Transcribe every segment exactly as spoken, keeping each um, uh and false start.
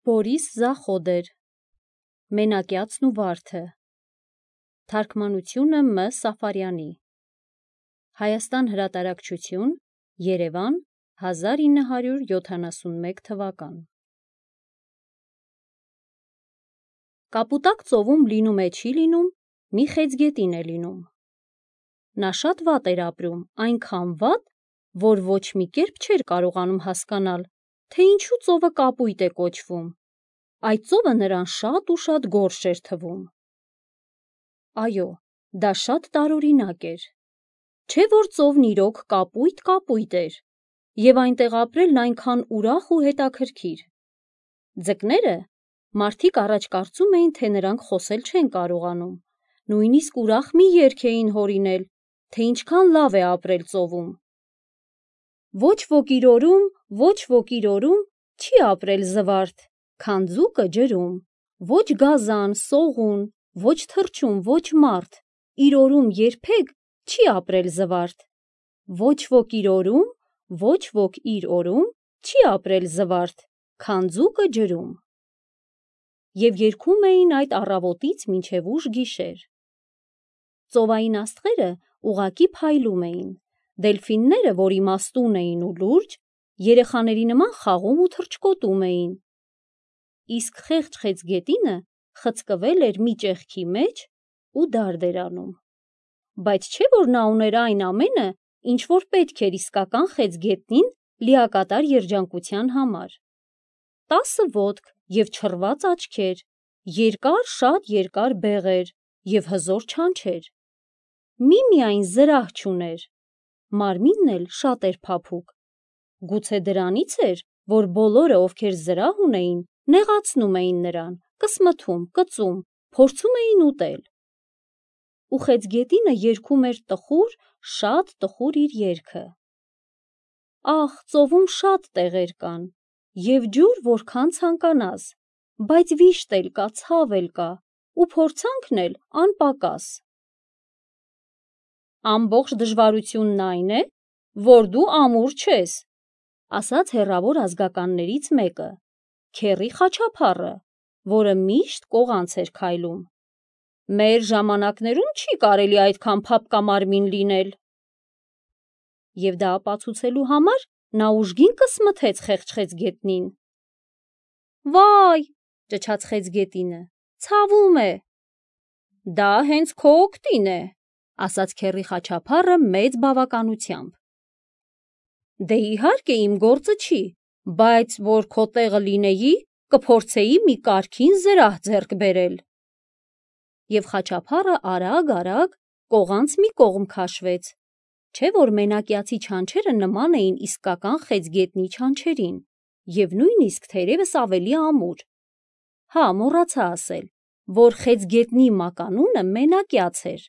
Բորիս Զախոդեր Մենակյացն ու վարդը Թարգմանությունը Մ. Սաֆարյանի Հայաստան հրատարակչություն Երևան հազար ինը հարյուր յոթանասունմեկ թվական Կապուտակ ծովում լինում է չի լինում, մի խեցգետին է լինում։ Նա շատ վատ էր ապրում, այնքան վատ, որ ոչ մի կերպ չէր կարողանում հասկանալ, թե ինչու ծովը կապույտ է կոչվում։ Այդ ծովը նրան շատ ու շատ գորշ էր թվում։ Այո, դա շատ տարօրինակ էր։ Չէ՞ որ ծովն իրոք կապույտ-կապույտ էր, և այնտեղ ապրելն այնքան ուրախ ու հետաքրքիր։ Ձկները, մարդիկ առաջ կարծում էին, թե նրանք խոսել չեն կարողանում, նույնիսկ ուրախ մի երգ էին հորինել, թե ինչքան լավ է ապրել ծովում։ Ոչ ոք իր օրում, ոչ ոք իր օրում չի ապրել զվարթ, քան ձուկը ջրում, ոչ գազան, սողուն, ոչ թռչուն, ոչ մարդ, իր օրում երբեք չի ապրել զվարթ։ Ոչ ոք իր օրում, ոչ ոք իր օրում չի ապրել զվարթ, քան ձուկը ջրում։ Եվ երգում էին այդ առավոտից մինչև ուշ գիշեր։ Ծովային աստղերը ուղղակի փայլում էին, դելֆինները, որ իմաստուն էին ու լուրջ, երեխաների նման խաղում ու թռչկոտում էին, իսկ խեղճ խեցգետինը խցկվել էր մի ճեղքի մեջ ու դարդ էր անում։ Բայց չէ՞ որ նա ուներ այն ամենը, ինչ որ պետք էր իսկական խեցգետնին լիակատար երջանկության համար. տասը ոտք և չռված աչքեր, երկար, շատ երկար բեղեր և հզոր չանչեր։ Միմիայն զրահ չուներ, մարմինն էլ շատ էր փափուկ։ Գուցե դրանից էր, որ բոլորը, ովքեր զրահ ունեին, նեղացնում էին նրան, կսմթում, կծում, փորձում էին ուտել։ Ու խեցգետինը երգում էր տխուր, շատ տխուր իր երգը. Ախ, ծովում շատ տեղեր կան, և ջուր որքան ցանկանաս, բայց վիշտ էլ կա, ցավ էլ կա, ու փորձանքն էլ անպակաս։ Ամբողջ դժվարությունն այն է, որ դու ամուր չես, ասաց հեռավոր ազգականներից մեկը, Քեռի Խաչափառը, որը միշտ կողանց էր քայլում։ Մեր ժամանակներում չի կարելի այդքան փափկամարմին լինել։ Եվ դա ապացուցելու համար նա ուժգին կսմթեց խեղճ խեցգետնին։ Վայ, ճչաց խեցգետինը, ցավում է։ Դա հենց քո օգտին է, ասաց Քեռի Խաչափառը մեծ բավականությամբ։ Դե իհարկե իմ գործը չի, բայց որ քո տեղը լինեի, կփորձեի մի կարգին զրահ ձեռք բերել։ Եվ Խաչափառը արագ-արագ կողանց մի կողմ քաշվեց, չէ՞ որ մենակյացի չանչերը նման էին իսկական խեցգետնի չանչերին, և նույնիսկ թերևս ավելի ամուր։ Հա, մոռացա ասել, որ խեցգետնի մականունը մենակյաց էր,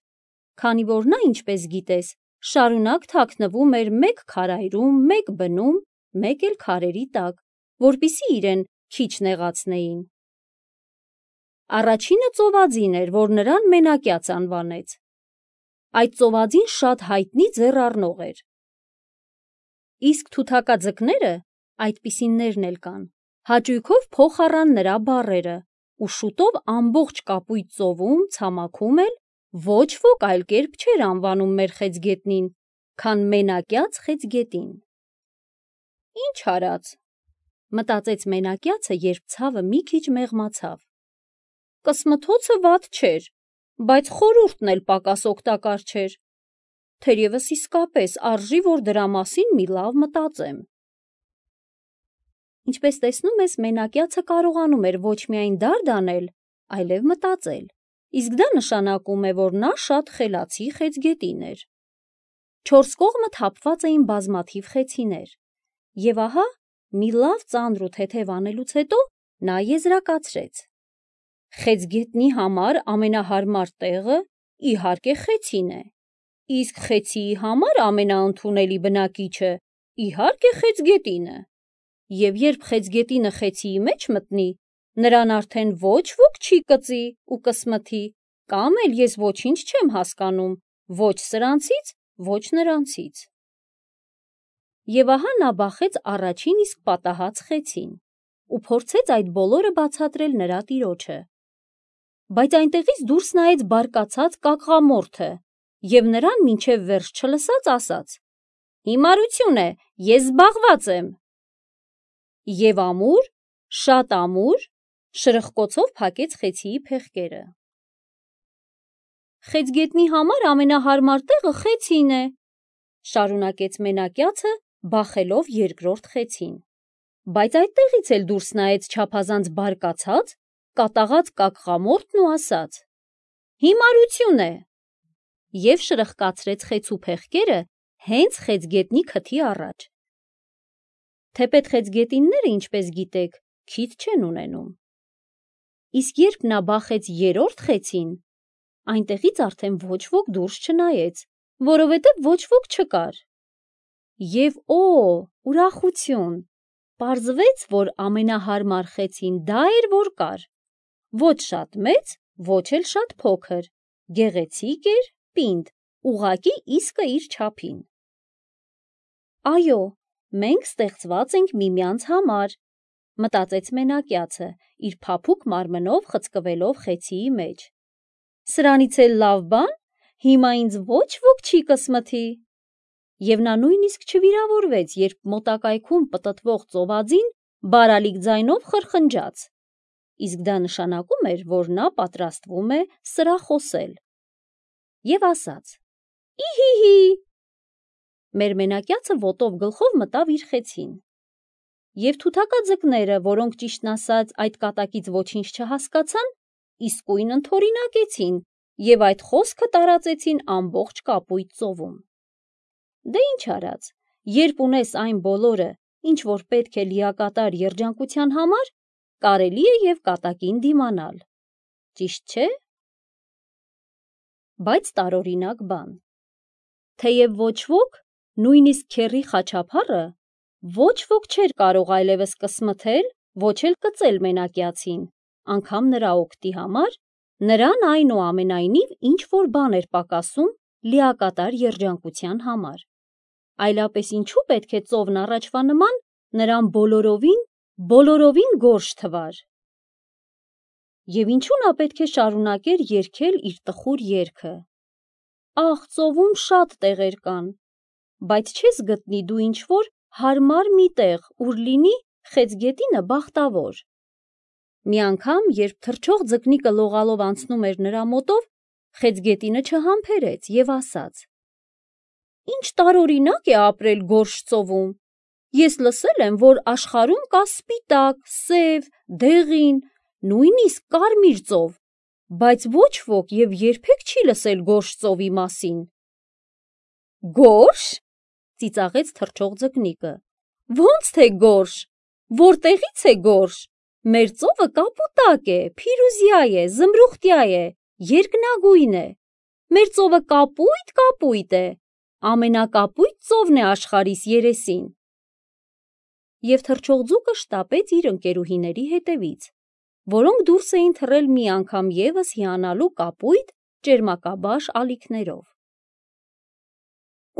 քանի որ նա, ինչպես գիտես, շարունակ թաքնվում էր մեկ քարայրում, մեկ բնում, մեկ էլ քարերի տակ, որպեսզի իրեն քիչ նեղացնեին։ Առաջինը ծովածին էր, որ նրան մենակյաց անվանեց։ Այդ ծովածին շատ հայտնի ձեռ առնող էր։ Իսկ թութակա ձկները, այդպիսիններն էլ կան, հաճույքով փոխ առան նրա բառերը, ու շուտով ամբողջ կապույտ ծովում, ցամաքում էլ ոչ ոք այլ կերպ չէր անվանում մեր խեցգետնին, քան մենակյաց խեցգետին։ Ինչ արած, մտածեց մենակյացը, երբ ցավը մի քիչ մեղմացավ։ Կսմթոցը վատ չէր, բայց խորհուրդն էլ պակաս օգտակար չէր։ Թերևս իսկապես արժի, որ դրա մասին մի լավ մտածեմ։ Ինչպես տեսնում ես, մենակյացը կարողանում էր ոչ միայն դարդ անել, այլև մտածել, իսկ դա նշանակում է, որ նա շատ խելացի խեցգետին էր։ Չորս կողմը թափված էին բազմաթիվ խեցիներ, և ահա, մի լավ ծանր ու թեթև անելուց հետո նա եզրակացրեց. Խեցգետնի համար ամենահարմար տեղը, իհարկե, խեցին է, իսկ խեցիի համար ամենաընդունելի բնակիչը, իհարկե, խեցգետինը։ Եվ երբ խեցգետինը խեցիի մեջ մտնի, նրան արդեն ոչ ոք չի կծի ու կսմթի, կամ էլ ես ոչինչ չեմ հասկանում ոչ սրանցից, ոչ նրանցից։ Եվ ահա նա բախեց առաջին իսկ պատահած խեցին, ու փորձեց այդ բոլորը բացատրել նրա տիրոջը։ Բայց այնտեղից դուրս նայեց բարկացած կակղամորթը և նրան մինչև վերջ չլսած ասաց. «Հիմարություն է, ես զբաղված եմ»։ Եվ ամուր, շատ ամուր, շրխկոցով փակեց խեցիի փեղկերը։ «Խեցգետնի համար ամենահարմար տեղը խեցին է», շարունակեց մենակյացը, բախելով երկրորդ խեցին, բայց այդտեղից էլ դուրս նայեց չափազանց բարկացած, կատաղած կակղամորթն ու ասաց. «Հիմարություն է» և շրխկացրեց խեցու փեղկերը հենց խեցգետնի քթի առաջ։ Թեպետ խեցգետինները, ինչպես գիտեք, քիթ չեն ունենում։ Իսկ երբ նա բախեց երրորդ խեցին, այնտեղից արդեն ոչ ոք դուրս չնայեց, որովհետև ոչ ոք չկար։ Եվ օ, ուրախություն, պարզվեց, որ ամենահարմար խեցին դա էր, որ կար, ոչ շատ մեծ, ոչ էլ շատ փոքր, գեղեցիկ էր, պինդ, ուղղակի իսկը իր չափին։ «Այո, մենք ստեղծված ենք միմյանց համար», մտածեց մենակյացը, իր փափուկ մարմնով խցկվելով խեցիի մեջ։ «Սրանից էլ լավ բան, հիմա ինձ ոչ ոք չի կսմթի»։ Եվ նա նույնիսկ չվիրավորվեց, երբ մոտակայքում պտտվող ծովածին բարալիկ ձայնով խրխնջաց, իսկ դա նշանակում էր, որ նա պատրաստվում է սրախոսել, և ասաց. «Ի-հի-հի»։ Մեր մենակյացը ոտով գլխով մտավ իր խեցին։ Եվ թութակա ձկները, որոնք ճիշտն ասած այդ կատակից ոչինչ չհասկացան, իսկույն ընդօրինակեցին և այդ խոսքը տարածեցին ամբողջ Կապույտ ծովում։ Դե ինչ արած, երբ ունես այն բոլորը, ինչ որ պետք է լիակատար երջանկության համար, կարելի է և կատակին դիմանալ, ճիշտ չէ՞։ Բայց տարօրինակ բան։ Թեև ոչ ոք, նույնիսկ քեռի խաչափառը, ոչ ոք չէր կարող այլևս կսմթել, ոչ էլ կծել մենակյացին, անգամ նրա օգտի համար, նրան այնուամենայնիվ ինչ-որ բան էր պակասում լիակատար երջանկության համար։ Այլապես ինչու պետք է ծովն առաջվա նման նրան բոլորովին, բոլորովին գորշ թվար։ Եվ ինչու նա պետք է շարունակեր երգել իր տխուր երգը. «Ախ, ծովում շատ տեղեր կան, բայց չես գտնի դու ինչ-որ հարմար մի տեղ, ուր լինի խեցգետինը բախտավոր»։ Մի անգամ, երբ թռչող ձկնիկը լողալով անցնում էր նրա մոտով, խեցգետինը չհամբերեց և ասաց. «Ինչ տարօրինակ է ապրել գորշ ծովում։ Ես լսել եմ, որ աշխարհում կա սպիտակ, սև, դեղին, նույնիսկ կարմիր ծով, բայց ոչ ոք և երբեք չի լսել գորշ ծովի մասին»։ «Գորշ»։ ծիծաղեց թռչող ձկնիկը, «ո՞նց թե գորշ, որտեղի՞ց է գորշ, մեր ծովը կապուտակ է, փիրուզյա է, զմրուխտյա է, երկնագույն է, մեր ծովը կապույտ, կապույտ է, ամենակապույտ ծովն է աշխարհիս երեսին»։ Եվ թռչող ձուկը շտապեց իր ընկերուհիների հետևից, որոնք դուրս էին թռել մի անգամ ևս հիանալու կապույտ ճերմակաբաշ ալիքներով։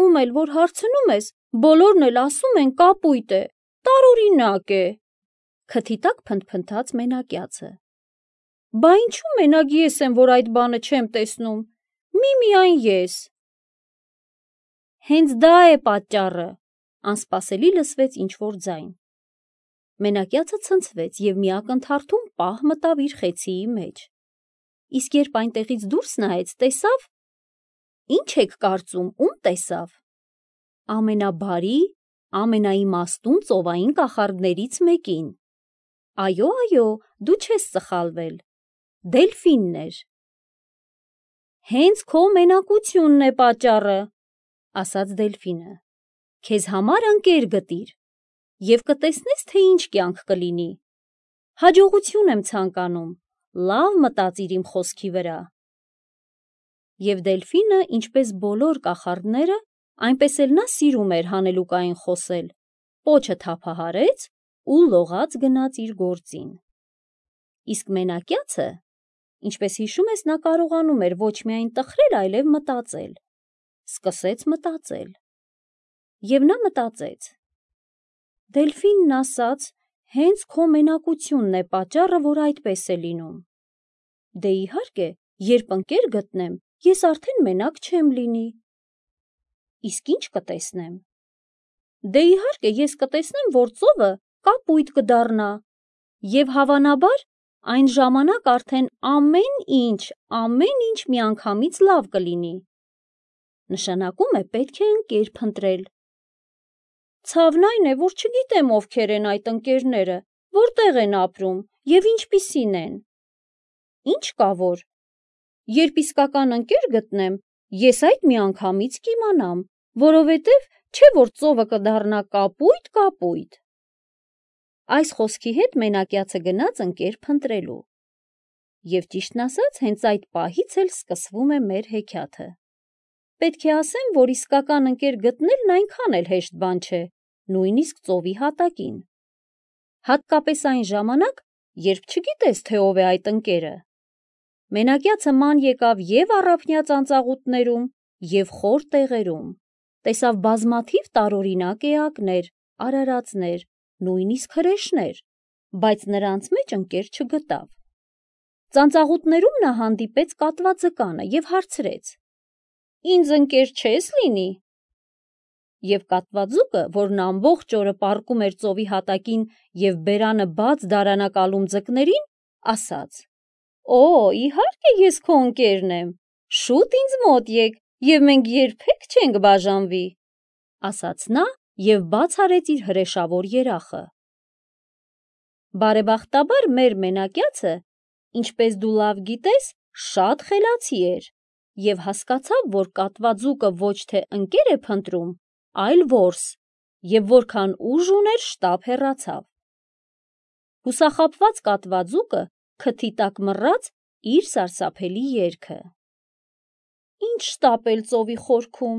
«Ում էլ որ հարցնում ես, բոլորն էլ ասում են կապույտ է, տարօրինակ է», քթի տակ փնթփնթաց մենակյացը։ «Բա ինչու մենակ ես եմ, որ այդ բանը չեմ տեսնում, միմիայն ես»։ «Հենց դա է պատճառը», անսպասելի լսվեց ինչ-որ ձայն։ Մենակյացը ցնցվեց և մի ակնթարթում պահ մտավ իր խեցիի մեջ, իսկ երբ այնտեղից դուրս նայեց, տեսավ… Ի՞նչ եք կարծում, ում տեսավ։ Ամենաբարի, ամենաիմաստուն ծովային կախարդներից մեկին։ Այո, այո, դու չես սխալվել, Դելֆինն էր։ «Հենց քո մենակությունն է պատճառը», ասաց Դելֆինը, «քեզ համար ընկեր գտիր, և կտեսնես, թե ինչ կյանք կլինի։ Հաջողություն եմ ցանկանում, լավ մտածիր իմ խոսքի վրա»։ Եվ Դելֆինը, ինչպես բոլոր կախարդները, այնպես էլ նա սիրում էր հանելուկային խոսել, պոչը թափահարեց ու լողաց գնաց իր գործին։ Իսկ մենակյացը, ինչպես հիշում ես, նա կարողանում էր ոչ միայն տխրել, այլև մտածել, սկսեց մտածել։ Եվ նա մտածեց. «Դելֆինն ասաց, հենց քո մենակությունն է պատճառը, որ այդպես է լինում։ Դե իհարկե, երբ ընկեր գտնեմ, ես արդեն մենակ չեմ լինի։ Իսկ ինչ կտեսնեմ։ Դե իհարկե, ես կտեսնեմ, որ ծովը կապույտ կդառնա, եւ հավանաբար այն ժամանակ արդեն ամեն ինչ, ամեն ինչ միանգամից լավ կլինի։ Նշանակում է պետք է ընկեր փնտրել։ Ցավն այն է, որ չգիտեմ ովքեր են այդ ընկերները, որտեղ են ապրում եւ ինչպիսին են։ Ինչ կա որ։ Երբ իսկական ընկեր գտնեմ, ես այդ միանգամից կիմանամ, որովհետև չէ որ ծովը կդառնա կապույտ-կապույտ։ Այս խոսքի հետ մենակյացը գնաց ընկեր փնտրելու։ Եվ ճիշտն ասած, հենց այդ պահից էլ սկսվում է մեր հեքիաթը։ Պետք է ասեմ, որ իսկական ընկեր գտնելն այնքան էլ հեշտ բան չէ, նույնիսկ ծովի հատակին։ Հատկապես այն ժամանակ, երբ չգիտես, թե ով է այդ ընկերը։ Մենակյացը ման եկավ եւ առափնյա ծանծաղուտներում, եւ խոր տեղերում, տեսավ բազմաթիվ տարօրինակ էակներ, արարածներ, նույնիսկ հրեշներ, բայց նրանց մեջ ընկեր չգտավ։ Ծանծաղուտներում նա հանդիպեց կատվա ձկանը եւ հարցրեց. «Ինձ ընկեր չես լինի»։ Եվ կատվաձուկը, որն ամբողջ օրը պառկում էր ծովի հատակին եւ բերանը բաց դարանակալում ձկներին, ասաց. «Օ, իհարկե ես քո ընկերն եմ, շուտ ինձ մոտ եկ եւ մենք երբեք չենք բաժանվի», ասաց նա եւ բաց արեց իր հրեշավոր երախը։ Բարեբախտաբար մեր մենակյացը, ինչպես դու լավ գիտես, շատ խելացի էր եւ հասկացավ, որ կատվաձուկը ոչ թե ընկեր է փնտրում, այլ որս, եւ որքան ուժ ուներ, շտապ հեռացավ։ Հուսախաբված կատվաձուկը քթի տակ մռաց իր սարսափելի երգը. «Ինչ շտապել ծովի խորքում,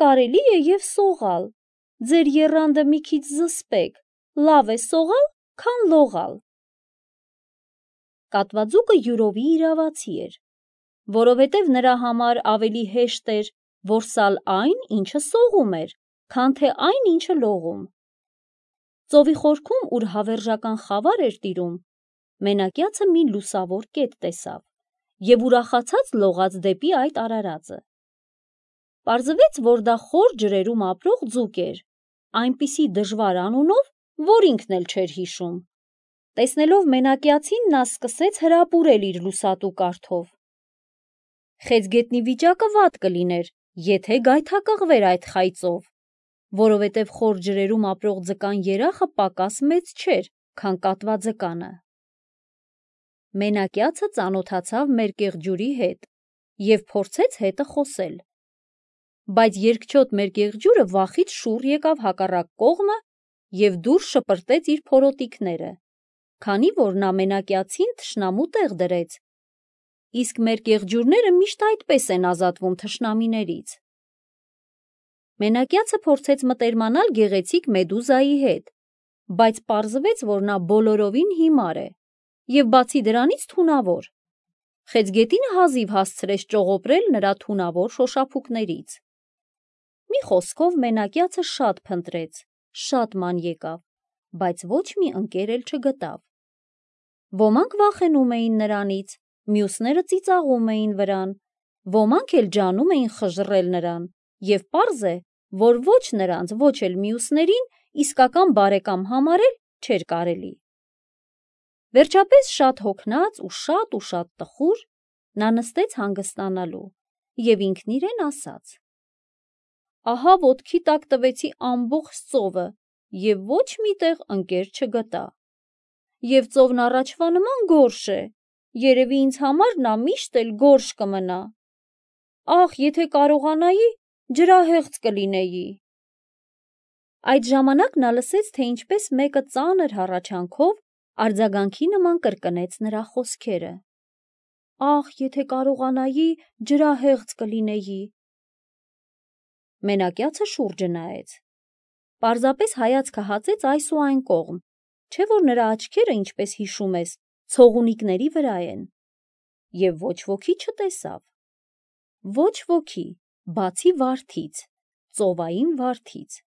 կարելի է եւ սողալ, ձեր եռանդը մի քիչ զսպեք, լավ է սողալ, քան լողալ»։ Կատվաձուկը յուրովի իրավացի էր, որովհետև նրա համար ավելի հեշտ էր որսալ այն, ինչը սողում էր, քան թե այն, ինչը լողում։ Ծովի խորքում, ուր հավերժական խավար էր տիրում, մենակյացը մի լուսավոր կետ տեսավ եւ ուրախացած լողաց դեպի այդ արարածը։ Պարզվեց, որ դա խոր ջրերում ապրող ձուկ էր, այնպիսի դժվար անունով, որ ինքն էլ չէր հիշում։ Տեսնելով մենակյացին, նա սկսեց հրապուրել իր լուսատու կարթով։ Խեցգետնի վիճակը վատ կլիներ, եթե գայթակղվեր այդ խայծով, որովհետև խոր ջրերում ապրող ձկան երախը պակաս մեծ չէր, քան կատվաձկանը։ Մենակյացը ծանոթացավ մերկեղջյուրի հետ եւ փորձեց հետը խոսել, բայց երկչոտ մերկեղջյուրը վախից շուռ եկավ հակառակ կողմը եւ դուրս շպրտեց իր փորոտիկները, քանի որ նա մենակյացին թշնամու տեղ դրեց, իսկ մերկեղջյուրները միշտ այդպես են ազատվում թշնամիներից։ Մենակյացը փորձեց մտերմանալ գեղեցիկ մեդուզայի հետ, բայց պարզվեց, որ նա բոլորովին հիմար է եւ բացի դրանից թունավոր։ Խեցգետինը հազիվ հասցրեց ճողոպրել նրա թունավոր շոշափուկներից։ Մի խոսքով, մենակյացը շատ փնտրեց, շատ ման եկավ, բայց ոչ մի ընկեր էլ չգտավ։ Ոմանք վախենում էին նրանից, մյուսները ծիծաղում էին վրան, ոմանք էլ ջանում էին խժռել նրան, եւ պարզ է, որ ոչ նրանց, ոչ էլ մյուսներին իսկական բարեկամ համարել չէր կարելի։ Վերջապես շատ հոգնած ու շատ ու շատ տխուր նա նստեց հանգստանալու եւ ինքն իրեն ասաց. «Ահա ոտքի տակ տվեցի ամբողջ ծովը եւ ոչ մի տեղ ընկեր չգտա։ Եվ ծովն առաջվա նման գորշ է, երևի ինձ համար նա միշտ էլ գորշ կմնա։ Ախ, եթե կարողանայի, ջրահեղձ կլինեի»։ Այդ ժամանակ նա լսեց, թե ինչպես մեկը ծանր հառաչանքով արձագանքի նման կրկնեց նրա խոսքերը. «Ախ, եթե կարողանայի, ջրահեղձ կլինեի»։ Մենակյացը շուրջը նայեց։ Պարզապես հայացքը հացեց այս ու այն կողմ, չէ որ նրա աչքերը, ինչպես հիշում ես, ցողունիկների վրա են, եւ ոչ ոքի չտեսավ։ Ոչ ոքի, բացի վարդից, ծովային վարդից,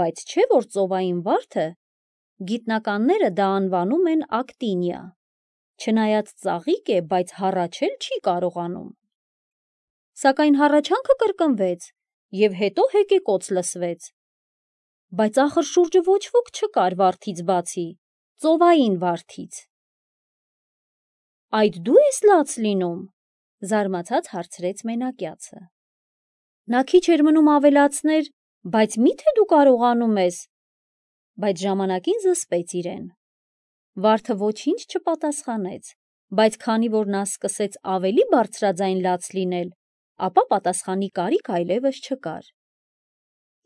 բայց չէ որ ծովային վարդը Գիտնականները դա անվանում են ակտինիա։ Չնայած ծաղիկ է, բայց հառաչել չի կարողանում։ Սակայն հառաչանքը կրկնվեց և հետո հեկեկոծ լսվեց։ Բայց ախր շուրջը ոչ ոք չկար վարդից բացի, ծովային վարդից։ Այդ դու ես լաց լինում, զարմացած հարցրեց մենակյացը։ Նա քիչ էր մնում ավելացներ, բայց մի՞թե դու կարողանում ես, բայց ժամանակին զսպեց իրեն։ Վարդը ոչինչ չպատասխանեց, բայց քանի որ նա սկսեց ավելի բարձրաձայն լաց լինել, ապա պատասխանի կարիք այլևս չկար։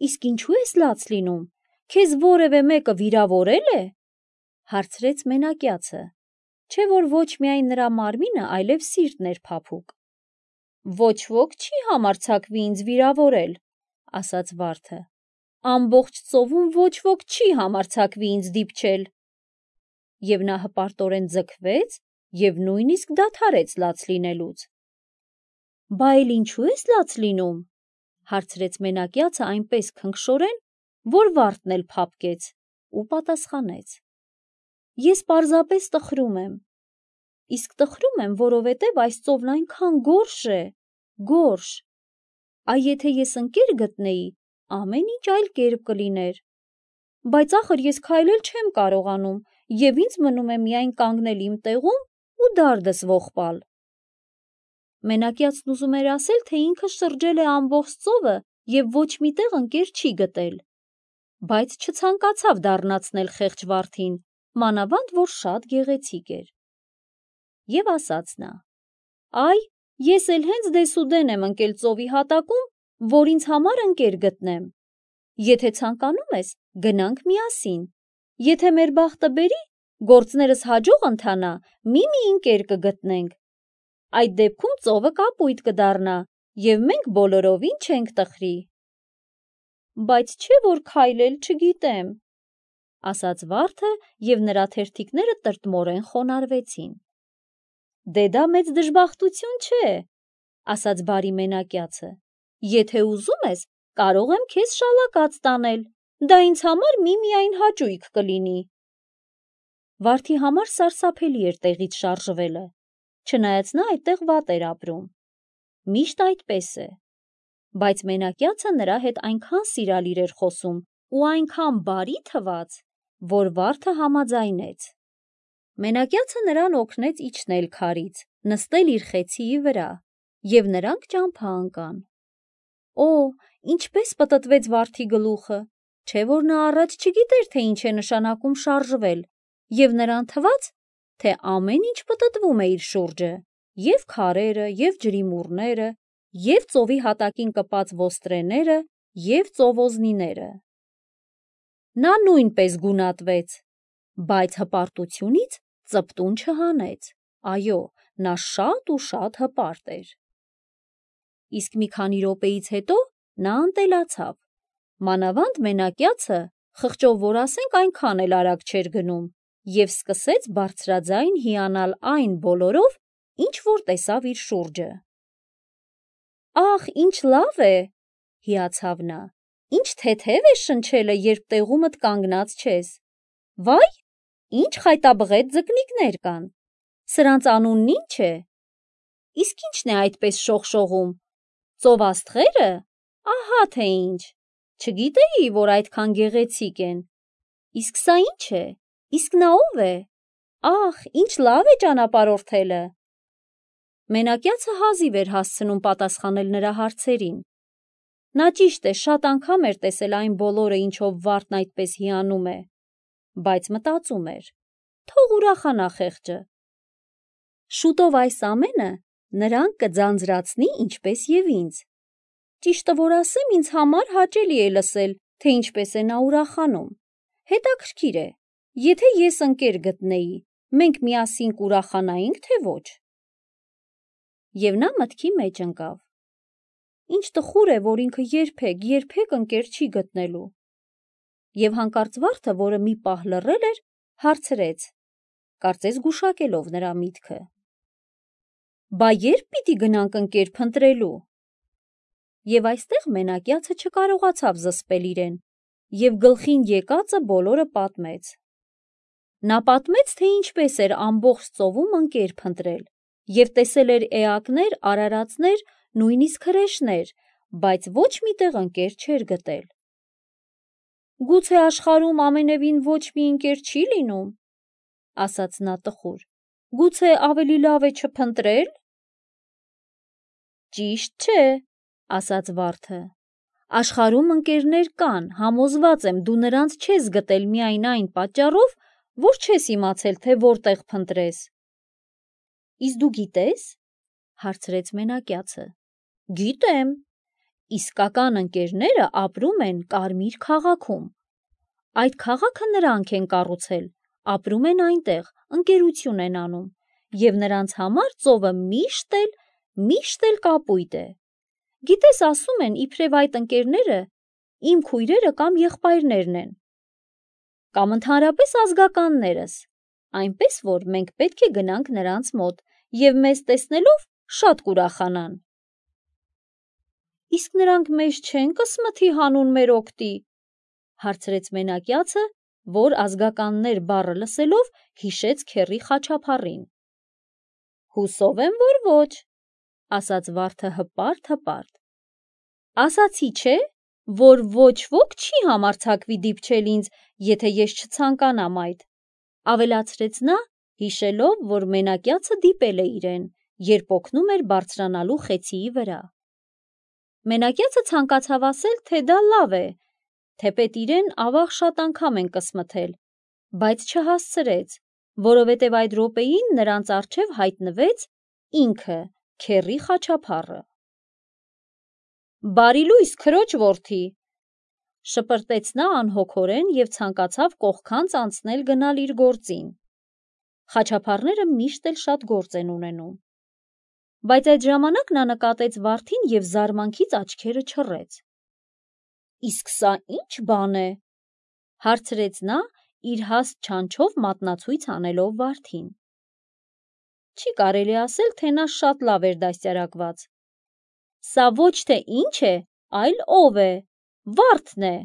Իսկ ինչու ես լաց լինում, քեզ որևէ մեկը վիրավորել է, հարցրեց մենակյացը, չէ որ ոչ միայն նրա մարմինը, այլև սիրտն էր փափուկ։ Ոչ ոք չի համարձակվի ինձ վիրավորել, ասաց վարդը, ամբողջ ծովում ոչ ոք չի համարձակվի ինձ դիպչել։ Եվ նա հպարտորեն ձգվեց և նույնիսկ դադարեց լաց լինելուց։ Բա էլ ինչու ես լաց լինում, հարցրեց մենակյացը այնպես քնքշորեն, որ վարդն էլ փափկեց ու պատասխանեց. Ես պարզապես տխրում եմ, իսկ տխրում եմ, որովհետև այս ծովն այնքան գորշ է, գորշ, այ եթե ես ընկեր գտնեի, ամեն ինչ այլ կերպ կլիներ, բայց ախր ես քայլել չեմ կարողանում և ինձ մնում է միայն կանգնել իմ տեղում ու դարդս ողբալ։ Մենակյացն ուզում էր ասել, թե ինքը շրջել է ամբողջ ծովը և ոչ մի տեղ ընկեր չի գտել, բայց չցանկացավ դառնացնել խեղճ վարդին, մանավանդ որ շատ գեղեցիկ էր։ Եվ ասաց նա. Այ, ես էլ հենց դեսուդեն եմ ընկել ծովի հատակում, որ ինձ համար ընկեր գտնեմ։ Եթե ցանկանում ես, գնանք միասին։ Եթե մեր բախտը բերի, գործներս հաջող ընթանա, մի-մի ընկեր կգտնենք։ Այդ դեպքում ծովը կապույտ կդառնա, և մենք բոլորովին չենք տխրի։ Բայց չէ որ քայլել չգիտեմ, ասաց վարդը, և նրա թերթիկները տրտմորեն խոնարհվեցին։ Դե դա մեծ դժբախտություն չէ, ասաց բարի մենակյացը, եթե ուզում ես, կարող եմ քեզ շալակած տանել, դա ինձ համար միմիայն հաճույք կլինի։ Վարդի համար սարսափելի էր տեղից շարժվելը, չնայած նա այդտեղ վատ էր ապրում։ Միշտ այդպես է։ Բայց մենակյացը նրա հետ այնքան սիրալիր էր խոսում ու այնքան բարի թվաց, որ վարդը համաձայնեց։ Մենակյացը նրան օգնեց իջնել քարից, նստել իր խեցիի վրա, և նրանք ճամփա ընկան։ Օ, ինչպես պտտվեց վարդի գլուխը, չէ որ նա առաջ չգիտեր, թե ինչ է նշանակում շարժվել, և նրան թվաց, թե ամեն ինչ պտտվում է իր շուրջը, և քարերը, և ջրիմուռները, և ծովի հատակին կպած ոստրեները, և ծովոզնիները։ Նա նույնպես գունատվեց, բայց հպարտությունից ծպտուն չհանեց, այո, նա շատ ու շատ հպարտ էր։ Իսկ մի քանի րոպեից հետո նա ընտելացավ, մանավանդ մենակյացը, խղճով որ ասենք, այնքան էլ արագ չէր գնում, և սկսեց բարձրաձայն հիանալ այն բոլորով, ինչ որ տեսավ իր շուրջը։ Ախ, ինչ լավ է, հիացավ նա, ինչ թեթև է շնչելը, երբ տեղումդ կանգնած չես։ Վայ, ինչ խայտաբղետ ձկնիկներ կան, սրանց անունն ի՞նչ է։ Իսկ ի՞նչն է այդպես շողշողում, ծովաստղե՞րը, ահա թե ինչ, չգիտեի, որ այդքան գեղեցիկ են։ Իսկ սա ի՞նչ է, իսկ նա ո՞վ է, ախ, ինչ լավ է ճանապարհորդելը։ Մենակյացը հազիվ էր հասցնում պատասխանել նրա հարցերին։ Նա ճիշտ է, շատ անգամ էր տեսել այն բոլորը, ինչով վարդն այդպես հիանում է, բայց մտածում էր. թող ուրախանա խեղճը։ Շուտով այս ամենը նրան կձանձրացնի ինչպես և ինձ։ Ճիշտը որ ասեմ, ինձ համար հաճելի է լսել, թե ինչպես է նա ուրախանում։ Հետաքրքիր է, եթե ես ընկեր գտնեի, մենք միասին կուրախանայինք, թե ոչ։ Եվ նա մտքի մեջ ընկավ. ինչ տխուր է, որ ինքը երբեք, երբեք ընկեր չի գտնելու։ Եվ հանկարծ վարդը, որը մի պահ լռել էր, հարցրեց, կարծես գուշակելով նրա միտքը. Բա ե՞րբ պիտի գնանք ընկեր փնտրելու։ Եվ այստեղ մենակյացը չկարողացավ զսպել իրեն, և գլխին եկածը բոլորը պատմեց։ Նա պատմեց, թե ինչպես էր ամբողջ ծովում ընկեր փնտրել և տեսել էր էակներ, արարածներ, նույնիսկ հրեշներ, բայց ոչ մի տեղ ընկեր չէր գտել։ «Գուցե աշխարհում ամենևին ոչ մի ընկեր չի լինում», ասաց նա տխուր։ «Գուցե ավելի լավ է չփնտրել»։ «Ճիշտ չէ», ասաց վարդը։ «Աշխարհում ընկերներ կան, համոզված եմ, դու նրանց չես գտել միայն այն պատճառով, որ չես իմացել, թե որտեղ փնտրես»։ «Իսկ դու գիտե՞ս», հարցրեց մենակյացը։ «Գիտեմ։ Իսկական ընկերները ապրում են Կարմիր քաղաքում։ Այդ քաղաքը նրանք են կառուցել, ապրում են այնտեղ, ընկերություն են անում, և նրանց համար ծովը միշտ էլ, միշտ էլ կապույտ է։ Գիտես, ասում են, իբրև այդ ընկերները իմ քույրերը կամ եղբայրներն են, կամ ընդհանրապես ազգականներս, այնպես որ մենք պետք է գնանք նրանց մոտ և մեզ տեսնելով շատ կուրախանան»։ «Իսկ նրանք մեզ չեն կսմթի հանուն մեր օգտի», հարցրեց մենակյացը, որ ազգականներ բառը լսելով հիշեց քեռի խաչափառին։ «Հուսով եմ, որ ոչ», ասաց վարդը հպարտ-հպարտ։ «Ասացի չէ, որ ոչ ոք չի համարձակվի դիպչել ինձ, եթե ես չցանկանամ այդ», ավելացրեց նա, հիշելով, որ մենակյացը դիպել է իրեն, երբ օգնում էր բարձրանալու խեցիի վրա։ Մենակյացը ցանկացավ ասել, թե դա լավ է, թեպետ իրեն ավաղ շատ անգամ են կսմթել, բայց չհասցրեց, որովհետև այդ րոպեին նրանց առջև հայտնվեց ինքը, քեռի խաչափառը։ «Բարի լույս, քրոջ որդի», շպրտեց նա անհոգորեն և ցանկացավ կողքանց անցնել գնալ իր գործին։ Խաչափառները միշտ էլ շատ գործ են ունենում։ Բայց այդ ժամանակ նա նկատեց վարդին և զարմանքից աչքերը չռեց։ «Իսկ սա ի՞նչ բան է», հարցրեց նա, իր հաստ չանչով մատնացույց անելով վարդին։ Չի կարելի ասել, թե նա շատ լավ էր դաստիարակված։ «Սա ոչ թե ինչ է, այլ ով է, վարդն է»,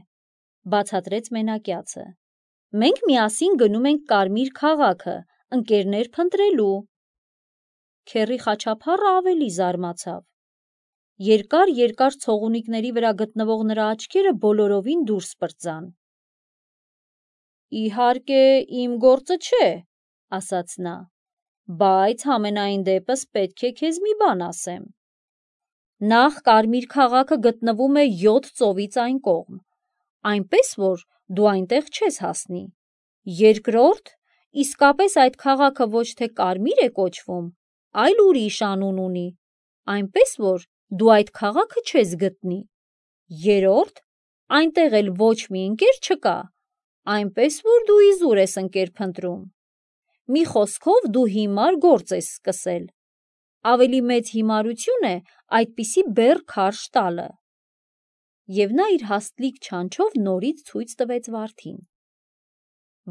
բացատրեց մենակյացը։ «Մենք միասին գնում ենք Կարմիր քաղաքը, ընկերներ փնտրելու»։ Քեռի խաչափառը ավելի զարմացավ։ Երկար-երկար ցողունիկների վրա գտնվող նրա աչքերը բոլորովին դուրս պրծան։ «Իհարկե, իմ գործը չէ», ասաց նա, «բայց համենայն դեպս պետք է քեզ մի բան ասեմ։ Նախ Կարմիր քաղաքը գտնվում է յոթ ծովից այն կողմ, այնպես որ դու այնտեղ չես հասնի։ Երկրորդ, իսկապես այդ քաղաքը ոչ թե Կարմիր է կոչվում, այլ ուրիշ անուն ունի, այնպես որ դու այդ քաղաքը չես գտնի։ Երրորդ, այնտեղ էլ ոչ մի ընկեր չկա, այնպես որ դու իզուր ես ընկեր փնտրում։ Մի խոսքով դու հիմար գործ ես սկսել։ Ավելի մեծ հիմարություն է այդպիսի բեռ քարշ տալը։ Եվ նա իր հաստլիկ չանչով նորից ցույց տվեց վարդին։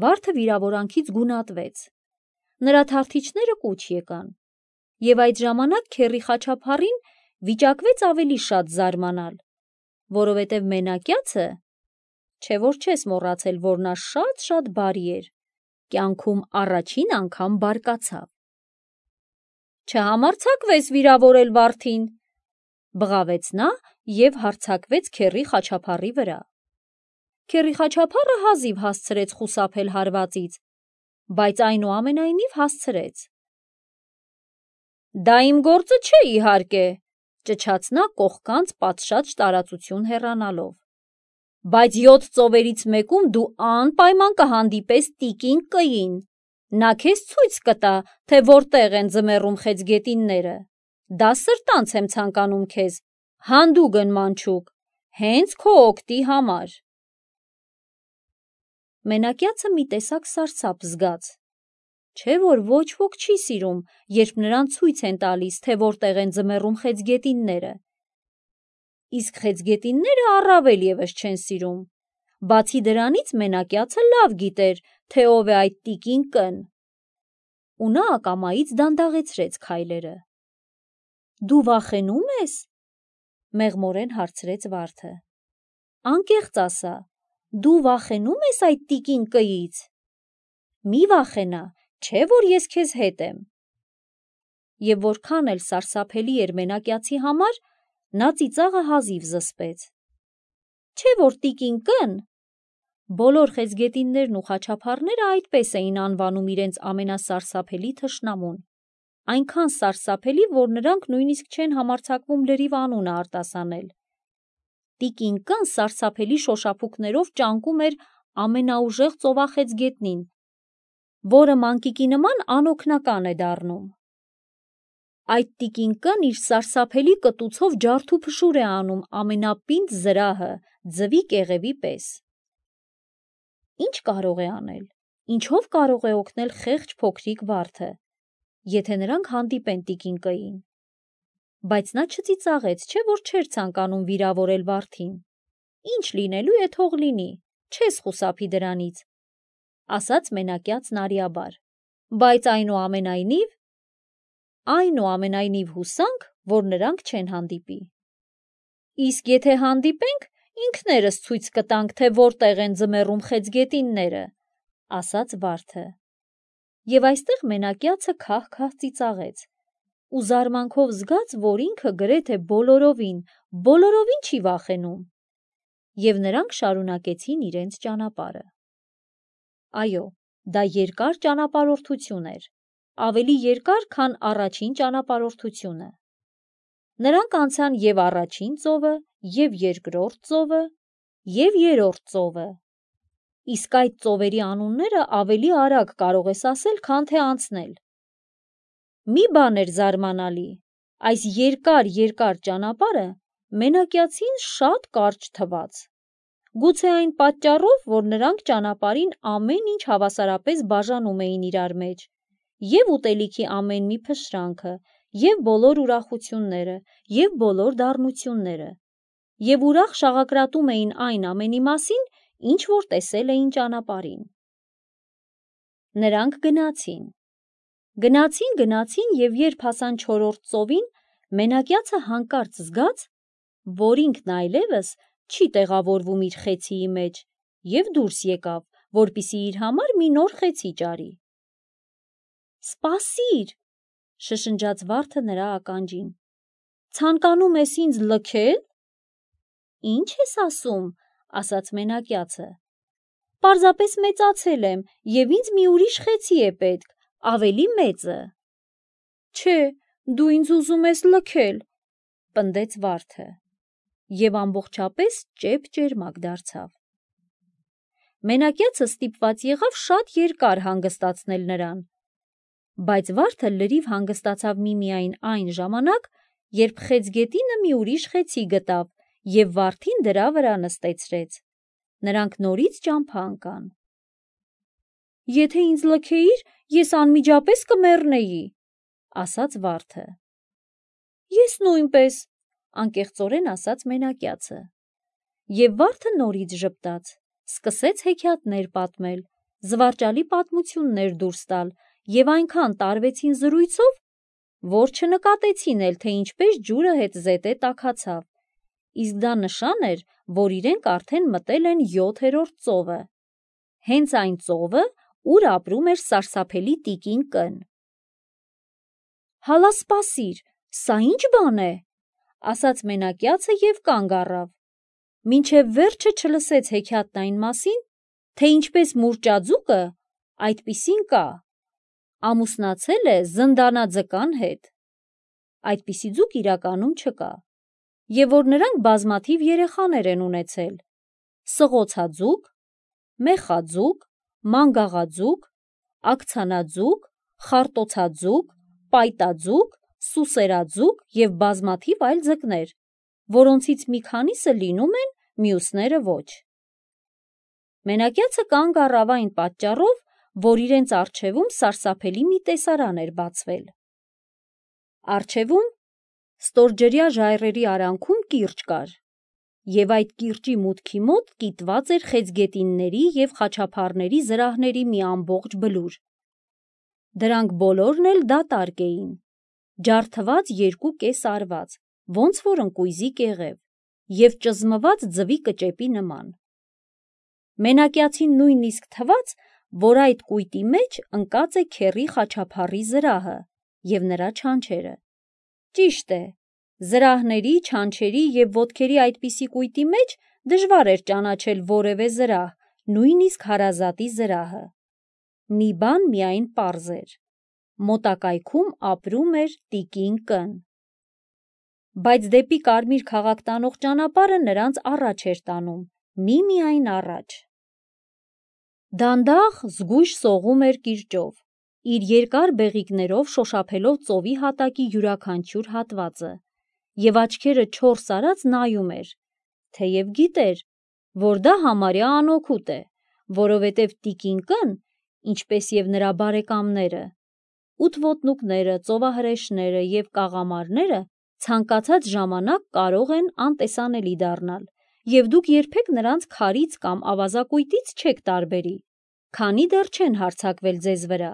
Վարդը վիրավորանքից գունատվեց։ Նրա թարթիչները կուչ եկան։ Եվ այդ ժամանակ քեռի խաչափառին վիճակվեց ավելի շատ զարմանալ, որովհետև մենակյացը, չէ որ չես մոռացել, որ նա շատ-շատ բարի էր, կյանքում առաջին անգամ բարկացավ։ «Չհամարձակվես վիրավորել վարդին», բղավեց նա և հարձակվեց քեռի խաչափառի վրա։ Քեռի խաչափառը հազիվ հասցրեց խուսափել հարվածից, բայց այնուամենայնիվ հասցրեց։ «Դա իմ գործը չէ, իհարկե», ճչաց նա կողքանց պատշաճ տարածություն հեռանալով, «բայց յոթ ծովերից մեկում դու անպայման կհանդիպես տիկին Կ-ին։ Նա քեզ ցույց կտա, թե որտեղ են ձմեռում խեցգետինները։ Դա սրտանց եմ ցանկանում քեզ, հանդուգն մանչուկ, հենց քո օգտի համար»։ Մենակյացը մի տեսակ սարսափ զգաց։ Չէ որ ոչ ոք չի սիրում, երբ նրան ցույց են տալիս, թե որտեղ են ձմեռում խեցգետինները։ Իսկ խեցգետինները առավել ևս չեն սիրում։ Բացի դրանից մենակյացը լավ գիտեր, թե ով է այդ տիկին Կ-ն։ Ու նա ակամայից դանդաղեցրեց քայլերը։ «Դու վախենու՞մ ես», մեղմորեն հարցրեց վարդը։ «Անկեղծ ասա, դու վախենու՞մ ես այդ տիկին Կ-ից»։ մի վախենա, չէ որ ես քեզ հետ եմ։ Եվ որքան էլ սարսափելի էր մենակյացի համար, նա ծիծաղը հազիվ զսպեց։ Չէ որ տիկին կն։ Բոլոր խեցգետիններն ու խաչափառները այդպես էին անվանում իրենց ամենասարսափելի թշնամուն, այնքան սարսափելի, որ նրանք նույնիսկ չեն համարձակվում լրիվ անունը արտասանել։ Տիկին կն սարսափելի շոշափուկներով ճանկում էր ամենաուժեղ ծովախեցգետնին, որը մանկիկի նման անօգնական է դառնում։ Այդ տիկին կն իր սարսափելի կտուցով ջարդուփշուր է անում ամենապինդ զրահը, ձվի կեղևի պես։ Ինչ կարող է անել, ինչով կարող է օգնել խեղճ փոքրիկ վարդը, եթե նրանք հանդիպեն տիկին կին։ Բայց նա չծիծաղեց, չէ որ չէր ցանկանում վիրավորել վարդին։ Ինչ լինելու է թող լինի, չես խուսափի դրանից, ասաց մենակյացն արիաբար, բայց այնուամենայնիվ, այնուամենայնիվ հուսանք, որ նրանք չեն հանդիպի։ Իսկ եթե հանդիպենք, ինքներս ցույց կտանք, թե որտեղ են ձմեռում խեցգետինները, ասաց վարդը։ Եվ այստեղ մենակյացը քահ-քահ ծիծաղեց ու զարմանքով զգաց, որ ինքը գրեթե բոլորովին, բոլորովին չի վախենում։ Եվ նրանք շարունակեցին իրենց ճանապարհը։ Այո, դա երկար ճանապարհորդություն էր, ավելի երկար, քան առաջին ճանապարհորդությունը։ Նրանք անցան և առաջին ծովը, և երկրորդ ծովը, և երրորդ ծովը։ Իսկ այդ ծովերի անունները ավելի արագ կարող ես ասել, քան թե անցնել։ Մի բան էր զարմանալի, այս երկար-երկար ճանապարհը մենակյացին շատ կարճ թվաց։ Գուցե այն պատճառով, որ նրանք ճանապարհին ամեն ինչ հավասարապես բաժանում էին իրար մեջ, և ուտելիքի ամեն մի փշրանքը, և բոլոր ուրախությունները, և բոլոր դառնությունները, և ուրախ շաղակրատում էին այն ամենի մասին, ինչ որ տեսել էին ճանապարհին։ Նրանք գնացին։ Գնացին, գնացին և երբ հասան չորրորդ ծովին, մենակյացը հանկարծ զգաց, որ ինքն այլևս չի տեղավորվում իր խեցիի մեջ և դուրս եկավ, որպեսզի իր համար մի նոր խեցի ճարի։ Սպասիր, շշնջաց վարդը նրա ականջին, ցանկանում ես ինձ լքե՞լ։ Ինչ ես ասում, ասաց մենակյացը, պարզապես մեծացել եմ և ինձ մի ուրիշ խեցի է պետք, ավելի մեծը։ Չէ, դու ինձ ուզում ես լքել, պնդեց վարդը և ամբողջապես ճեպ-ճերմակ դարձավ։ Մենակյացը ստիպված եղավ շատ երկար հանգստացնել նրան, բայց վարդը լրիվ հանգստացավ միմիայն այն ժամանակ, երբ խեցգետինը մի ուրիշ խեցի գտավ և վարդին դրա վրա նստեցրեց։ Նրանք նորից ճամփա ընկան։ Եթե ինձ լքեիր, ես անմիջապես կմեռնեի, ասաց վարդը։ Ես նույնպես, անկեղծորեն ասաց մենակյացը։ Եվ վարդը նորից ժպտաց, սկսեց հեքիաթներ պատմել, զվարճալի պատմություններ դուրս տալ և այնքան տարվեցին զրույցով, որ չնկատեցին էլ, թե ինչպես ջուրը հետզհետե տաքացավ, իսկ դա նշան էր, որ իրենք արդեն մտել են յոթերորդ ծովը, հենց այն ծովը, ուր ապրում էր սարսափելի տիկին կն։ Հալա սպասիր, սա ի՞նչ բան է, ասաց մենակյացը և կանգ առավ, մինչև վերջը չլսեց հեքիաթն այն մասին, թե ինչպես մուրճաձուկը, այդպիսին կա, ամուսնացել է զնդանաձկան հետ, այդպիսի ձուկ իրականում չկա, և որ նրանք բազմաթիվ երեխաներ են ունեցել, սղոցաձուկ, մեխաձուկ, մանգաղաձուկ, աքցանաձուկ, խարտոցաձուկ, պայտաձուկ, սուսերաձուկ և բազմաթիվ այլ ձկներ, որոնցից մի քանիսը լինում են, մյուսները ոչ։ Մենակյացը կանգ առավ այն պատճառով, որ իրենց առջևում սարսափելի մի տեսարան էր բացվել։ Առջևում ստորջրյա ժայռերի արանքում կիրճ կար, և այդ կիրճի մուտքի մոտ կիտված էր խեցգետինների և խաչափառների զրահների մի ամբողջ բլուր։ Դրանք բոլորն էլ դատարկ էին, ջարդված երկու կես արված, ոնց որ ընկույզի կեղև, և ճզմված ձվի կճեպի նման։ Մենակյացին նույնիսկ թվաց, որ այդ կույտի մեջ ընկած է քեռի խաչափառի զրահը և նրա չանչերը։ Ճիշտ է, զրահների, չանչերի և ոտքերի այդպիսի կույտի մեջ դժվար էր ճանաչել որևէ զրահ, նույնիսկ հարազատի զրահը։ Մի բան միայն պարզ էր. մոտակայքում ապրում էր տիկին Կ-ն։ Բայց դեպի կարմիր քաղաք տանող ճանապարհը նրանց առաջ էր տանում, միմիայն առաջ։ Դանդաղ, զգույշ սողում էր կիրճով, իր երկար բեղիկներով շոշափելով ծովի հատակի յուրաքանչյուր հատվածը, և աչքերը չորս արած նայում էր, թեև գիտեր, որ դա համարյա անօգուտ է, որովհետև տիկին Կ-ն, ինչպես և նրա բարեկամները, ութոտնուկները, ծովահրեշները և կաղամարները ցանկացած ժամանակ կարող են անտեսանելի դառնալ, և դուք երբեք նրանց քարից կամ ավազակույտից չեք տարբերի, քանի դեռ չեն հարձակվել ձեզ վրա։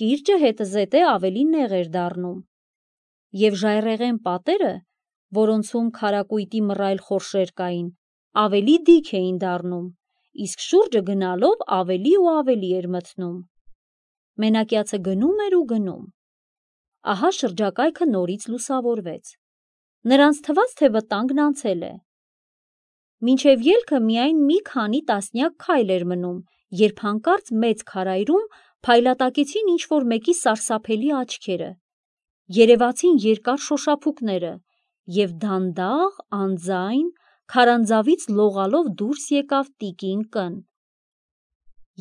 Կիրճը հետզհետե ավելի նեղ էր դառնում, և ժայռերեն պատերը, որոնցում քարակույտի մռայլ խորշեր կային, ավելի դիք էին դառնում, իսկ շուրջը գնալով ավելի ու ավելի էր մթնում։ Մենակյացը գնում էր ու գնում։ Ահա շրջակայքը նորից լուսավորվեց։ Նրանց թվաց, թե վտանգն անցել է։ Մինչև ելքը միայն մի քանի տասնյակ քայլ էր մնում, երբ հանկարծ մեծ քարայրում փայլատակեցին ինչ-որ մեկի սարսափելի աչքերը, երևացին երկար շոշափուկները, և դանդաղ, անձայն, քարանձավից լողալով դուրս եկավ տիկին Կ-ն։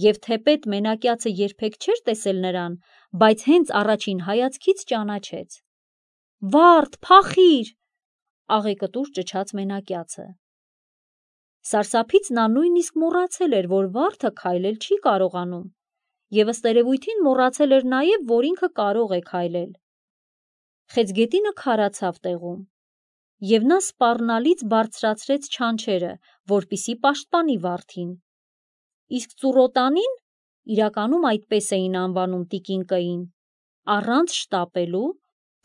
Եվ թեպետ մենակյացը երբեք չէր տեսել նրան, բայց հենց առաջին հայացքից ճանաչեց։ «Վա՛րդ, փախի՛ր», աղեկտուր ճչաց մենակյացը։ Սարսափից նա նույնիսկ մոռացել էր, որ վարդը քայլել չի կարողանում, և ըստ երևույթին մոռացել էր նաև, որ ինքը կարող է քայլել։ Խեցգետինը քարացավ տեղում, և նա սպառնալից բարձրացրեց չանչերը, որպեսզի պաշտպանի վարդին, իսկ ծուռոտանին (իրականում այդպես էին անվանում տիկին Կ-ին) առանց շտապելու,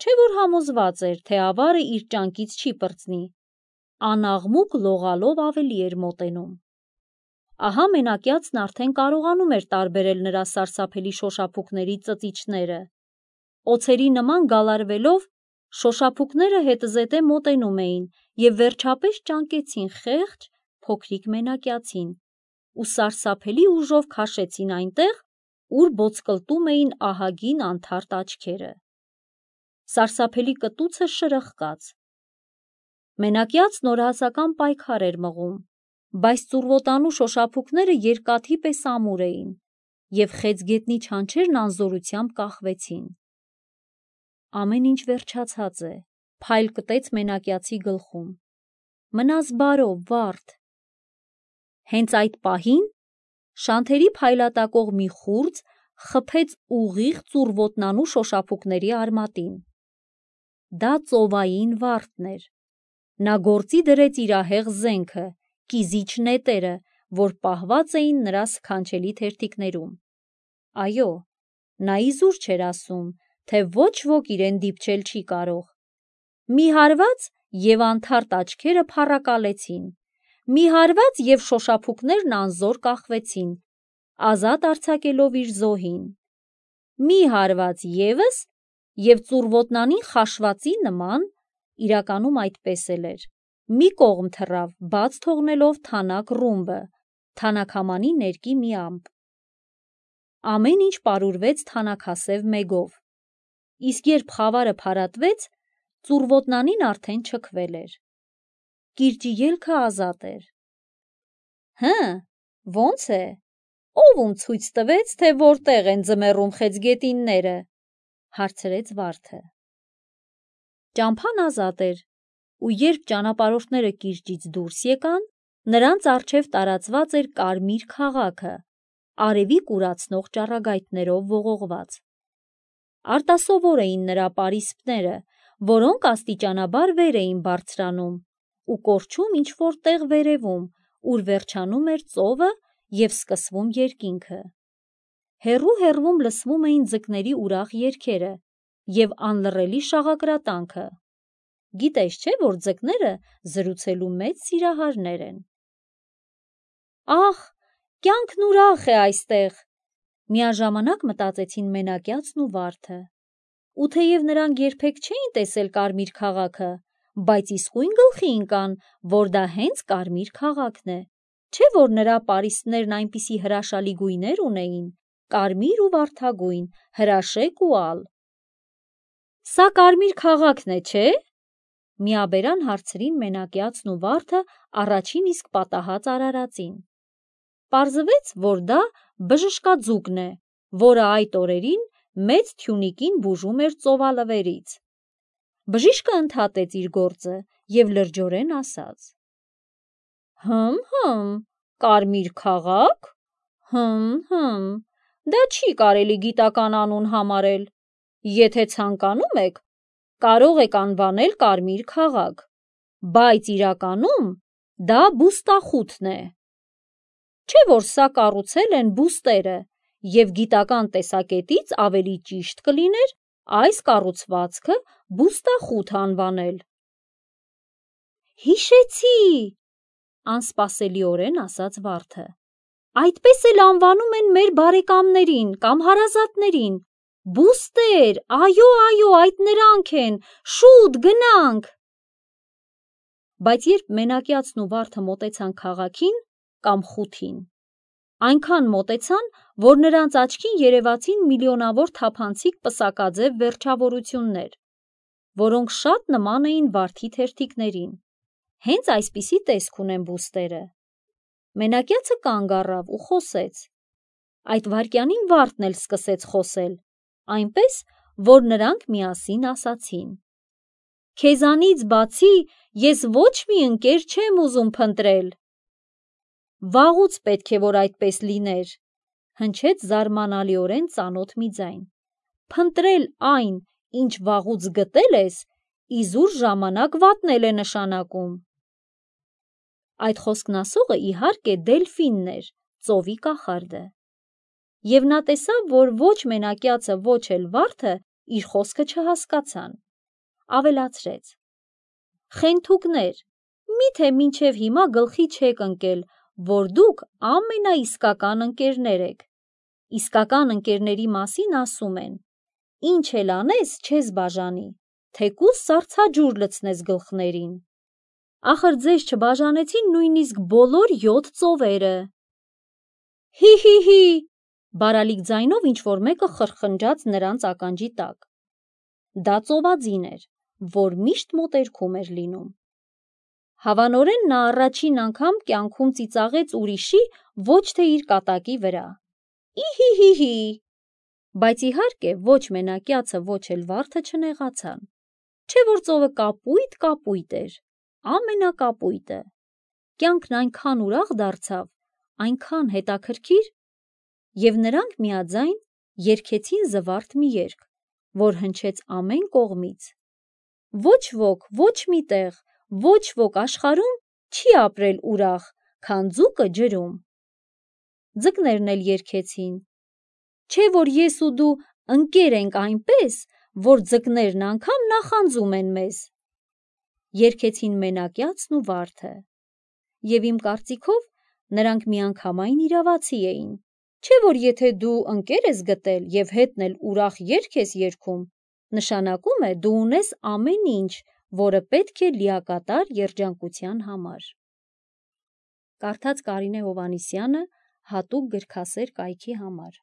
չէ որ համոզված էր, թե ավարը իր ճանկից չի պրծնի, անաղմուկ լողալով ավելի էր մոտենում։ Ահա մենակյացն արդեն կարողանում էր տարբերել նրա սարսափելի շոշափուկների ծծիչները։ Օձերի նման գալարվելով, շոշափուկները հետզհետե մոտենում էին և վերջապես ճանկեցին խեղճ, փոքրիկ մենակյացին ու սարսափելի ուժով քաշեցին այնտեղ, ուր ոսկլտում էին ահագին անթարթ աչքերը։ Սարսափելի կտուցը շրխկաց։ Մենակյացն օրհասական պայքար էր մղում, բայց ծուռոտանու շոշափուկները երկաթի պես ամուր էին, և խեցգետնի չանչերն անզորությամբ կախվեցին։ Ամեն ինչ վերջացած է, փայլ կտեց մենակյացի գլխում։ Մնաս բարով, վա՛րդ։ Հենց այդ պահին շանթերի փայլատակող մի խուրձ խփեց ուղիղ ծուռոտնանու շոշափուկների արմատին։ Դա ծովային վարդն էր։ Նա գործի դրեց իր ահեղ զենքը, կիզիչ նետերը, որ պահված էին նրա սքանչելի թերթիկներում։ Այո, նա իզուր չէր ասում, թե ոչ ոք իրեն դիպչել չի կարող։ Մի հարված, և անթարթ աչքերը փառակալեցին, մի հարված, և շոշափուկներն անզոր կախվեցին, ազատ արձակելով իր զոհին, մի հարված ևս, և ծուռոտնանին խաշվածի նման (իրականում այդպես էլ էր) մի կողմ թռավ, բաց թողնելով թանաք ռումբը, թանաքամանի ներկի մի ամպ։ Ամեն ինչ պարուրվեց թանաքասև մեգով, իսկ երբ խավարը փարատվեց, ծուռոտնանին արդեն չքվել էր։ Կիրճի ելքը ազատ էր։ Հը, ո՞նց է, ո՞վ ում ցույց տվեց, թե որտեղ են ձմեռում խեցգետինները, հարցրեց վարդը։ Ճամփան ազատ էր, ու երբ ճանապարհորդները կիրճից դուրս եկան, նրանց առջև տարածված էր կարմիր քաղաքը, արևի կուրացնող ճառագայթներով ողողված։ Արտասովոր էին նրա պարիսպները, որոնք աստիճանաբար վեր էին բարձրանում ու կորչում ինչ-որ տեղ վերևում, ուր վերջանում էր ծովը և սկսվում երկինքը։ Հեռու-հեռվում լսվում էին ձկների ուրախ երգերը և անլռելի շաղակրատանքը։ Գիտես չէ՞, որ ձկները զրուցելու մեծ սիրահարներ են։ Ահ, կյանքն ուրախ է այստեղ, միաժամանակ մտածեցին մենակյացն ու վարդը։ Ու թեև նրանք երբեք չէին տեսել Կարմիր քաղաքը, բայց իսկույն գլխի ընկան, որ դա հենց Կարմիր քաղաքն է, չէ՞ որ նրա պարիսպներն այնպիսի հրաշալի գույներ ունեին, կարմիր ու վարդագույն, հրաշեկ ու ալ։ Սա Կարմիր քաղաքն է, չէ՞, միաբերան հարցրին մենակյացն ու վարդը առաջին իսկ պատահած արարածին։ Պարզվեց, որ դա բժշկաձուկն է, որը այդ օրերին մեծ թյունիկին բուժում էր ծովալվերից։ Բժիշկը ընդհատեց իր գործը և լրջորեն ասաց. «Հմ, հմ, Կարմիր քաղաք, հմ, հմ, դա չի կարելի գիտական անուն համարել, եթե ցանկանում եք, կարող եք անվանել Կարմիր քաղաք, բայց իրականում դա բուստախութն է։ Չէ՞ որ սա կառուցել են բուստերը, և գիտական տեսակետից ավելի ճիշտ կլիներ այս կառուցվածքը բուստախութ անվանել»։ «Հիշեցի», անսպասելիորեն ասաց վարդը, «այդպես էլ անվանում են մեր բարեկամներին կամ հարազատներին, բուստեր, այո, այո, այդ նրանք են, շուտ գնանք»։ Բայց երբ մենակյացն ու վարդը մոտեցան քաղաքին կամ խութին, այնքան մոտեցան, որ նրանց աչքին երևացին միլիոնավոր թափանցիկ պսակաձև վերջավորություններ, որոնք շատ նման էին վարդի թերթիկներին, հենց այսպիսի տեսք ունեն բուստերը։ Մենակյացը կանգ առավ ու խոսեց։ Այդ վայրկյանին վարդն էլ սկսեց խոսել, այնպես, որ նրանք միասին ասացին. «Քեզանից բացի ես ոչ մի ընկեր չեմ ուզում փնտրել»։ «Վաղուց պետք է, որ այդպես լիներ», հնչեց զարմանալիորեն ծանոթ մի ձայն։ «Փնտրել այն, ինչ վաղուց գտել ես, իզուր ժամանակ վատնել է նշանակում»։ Այդ խոսքն ասողը իհարկե Դելֆինն էր, ծովի կախարդը։ Եվ նա տեսավ, որ ոչ մենակյացը, ոչ էլ վարդը իր խոսքը չհասկացան։ Ավելացրեց. «Խենթուկներ, մի՞թե մինչև հիմա գլխի չեք ընկել, որ դուք ամենաիսկական ընկերներ եք։ Իսկական ընկերների մասին ասում են. ինչ էլ անես, չես բաժանի, թեկուզ սառցաջուր լցնես գլխներին։ Ախր ձեզ չբաժանեցին նույնիսկ բոլոր յոթ ծովերը»։ «Հի՛, հի՛, հի՛, բարալիկ ձայնով ինչ-որ մեկը խրխնջաց նրանց ականջի տակ։ Դա ծովաձին էր, որ միշտ մոտերքում էր լինում։ Հավանորեն նա առաջին անգամ կյանքում ծիծաղեց ուրիշի, ոչ թե իր կատակի վրա։ Ի՛հի՛, բայց իհարկե ոչ մենակյացը, ոչ էլ վարդը չնեղացան, չէ՞ որ ծովը կապույտ-կապույտ էր, ամենակապույտը։ Կյանքն այնքան ուրախ դարձավ, այնքան հետաքրքիր, և նրանք միաձայն երգեցին զվարթ մի երգ, որ հնչեց ամեն կողմից. «Ոչ ոք, ոչ մի տեղ, ոչ ոք աշխարհում չի ապրել ուրախ, քան ձուկը ջրում»։ Ձկներն էլ երգեցին. «Չէ՞ որ ես ու դու ընկեր ենք այնպես, որ ձկներն անգամ նախանձում են մեզ»։ Երգեցին մենակյացն ու վարդը։ Եվ իմ կարծիքով նրանք միանգամայն իրավացի էին, չէ՞ որ եթե դու ընկեր ես գտել և հետն էլ ուրախ երգ ես երգում, նշանակում է դու ունես ամեն ինչ, որը պետք է լիակատար երջանկության համար։ Կարդաց Կարինե Հովհաննիսյանը հատուկ գրքասեր կայքի համար։